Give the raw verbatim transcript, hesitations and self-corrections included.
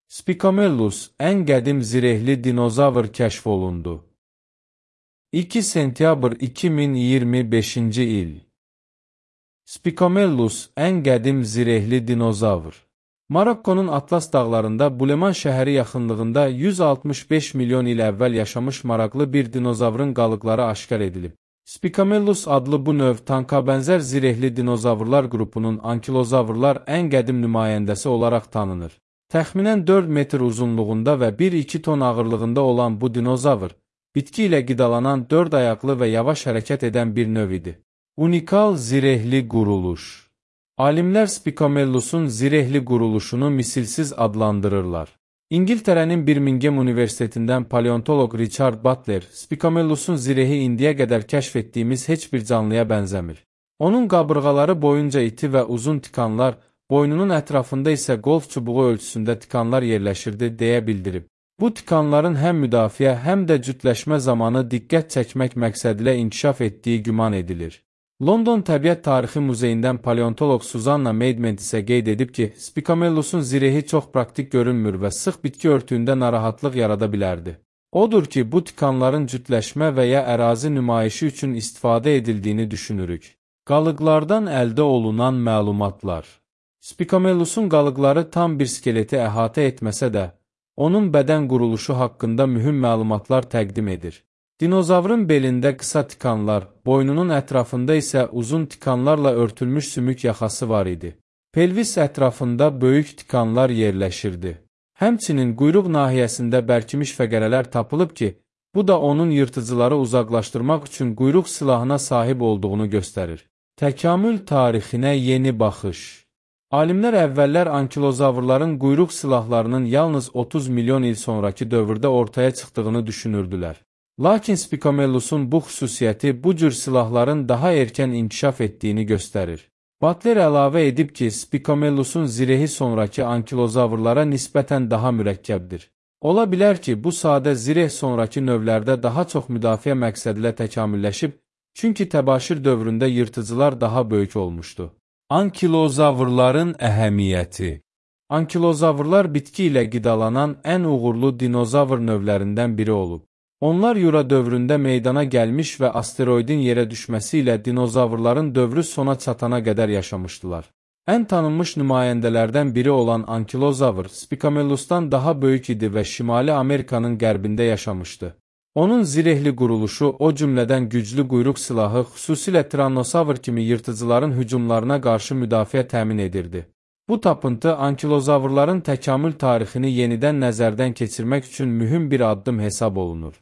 Spicamellus, ən qədim zirehli dinozavr kəşf olundu. iki sentyabr iki min iyirmi beşinci il. Spicamellus, ən qədim zirehli dinozavr. Marokkonun Atlas dağlarında Buleman şəhəri yaxınlığında yüz altmış beş milyon il əvvəl yaşamış maraqlı bir dinozavrın qalıqları aşkar edilib. Spicamellus adlı bu növ tankabənzər zirehli dinozavrlar qrupunun ankilozavrlar ən qədim nümayəndəsi olaraq tanınır. Təxminən dörd metr uzunluğunda və bir iki ton ağırlığında olan bu dinozavr, bitki ilə qidalanan dörd ayaqlı və yavaş hərəkət edən bir növ idi. Unikal zirehli quruluş. Alimlər Spicamellus'un zirehli quruluşunu misilsiz adlandırırlar. İngiltərənin Birmingham Universitetindən paleontoloq Richard Butler, Spicamellus'un zirehi indiyə qədər kəşf etdiyimiz heç bir canlıya bənzəmir. Onun qabırğaları boyunca iti və uzun tikanlar, boynunun ətrafında isə qolf çubuğu ölçüsündə tikanlar yerləşirdi, deyə bildirib. Bu tikanların həm müdafiə, həm də cütləşmə zamanı diqqət çəkmək məqsədilə inkişaf etdiyi güman edilir. London Təbiət Tarixi Muzeyindən paleontoloq Susanna Maidment isə qeyd edib ki, Spicamellus'un zirehi çox praktik görünmür və sıx bitki örtüyündə narahatlıq yarada bilərdi. Odur ki, bu tikanların cütləşmə və ya ərazi nümayişi üçün istifadə edildiyini düşünürük. Qalıqlardan əldə olunan məlumatlar. Spicamellus'un qalıqları tam bir skeleti əhatə etməsə də, onun bədən quruluşu haqqında mühüm məlumatlar təqdim edir. Dinozavrın belində qısa tikanlar, boynunun ətrafında isə uzun tikanlarla örtülmüş sümük yaxası var idi. Pelvis ətrafında böyük tikanlar yerləşirdi. Həmçinin quyruq nahiyəsində bərkimiş fəqərələr tapılıb ki, bu da onun yırtıcıları uzaqlaşdırmaq üçün quyruq silahına sahib olduğunu göstərir. Təkamül tarixinə yeni baxış. Alimlər əvvəllər ankilozavrların quyruq silahlarının yalnız otuz milyon il sonraki dövrdə ortaya çıxdığını düşünürdülər. Lakin Spicamellus'un bu xüsusiyyəti bu cür silahların daha erkən inkişaf etdiyini göstərir. Butler əlavə edib ki, Spicamellus'un zirehi sonraki ankilozavrlara nisbətən daha mürəkkəbdir. Ola bilər ki, bu sadə zireh sonraki növlərdə daha çox müdafiə məqsədilə təkamülləşib, çünki təbaşir dövründə yırtıcılar daha böyük olmuşdu. Ankilozavrların əhəmiyyəti. Ankilozavrlar bitki ilə qidalanan ən uğurlu dinozavr növlərindən biri olub. Onlar Yura dövründə meydana gəlmiş və asteroidin yerə düşməsi ilə dinozavrların dövrü sona çatana qədər yaşamışdılar. Ən tanınmış nümayəndələrdən biri olan ankilozavr, Spicamellus'tan daha böyük idi və Şimali Amerikanın qərbində yaşamışdı. Onun zirehli quruluşu, o cümlədən güclü quyruq silahı, xüsusilə Tyrannosavr kimi yırtıcıların hücumlarına qarşı müdafiə təmin edirdi. Bu tapıntı ankilozavrların təkamül tarixini yenidən nəzərdən keçirmək üçün mühüm bir addım hesab olunur.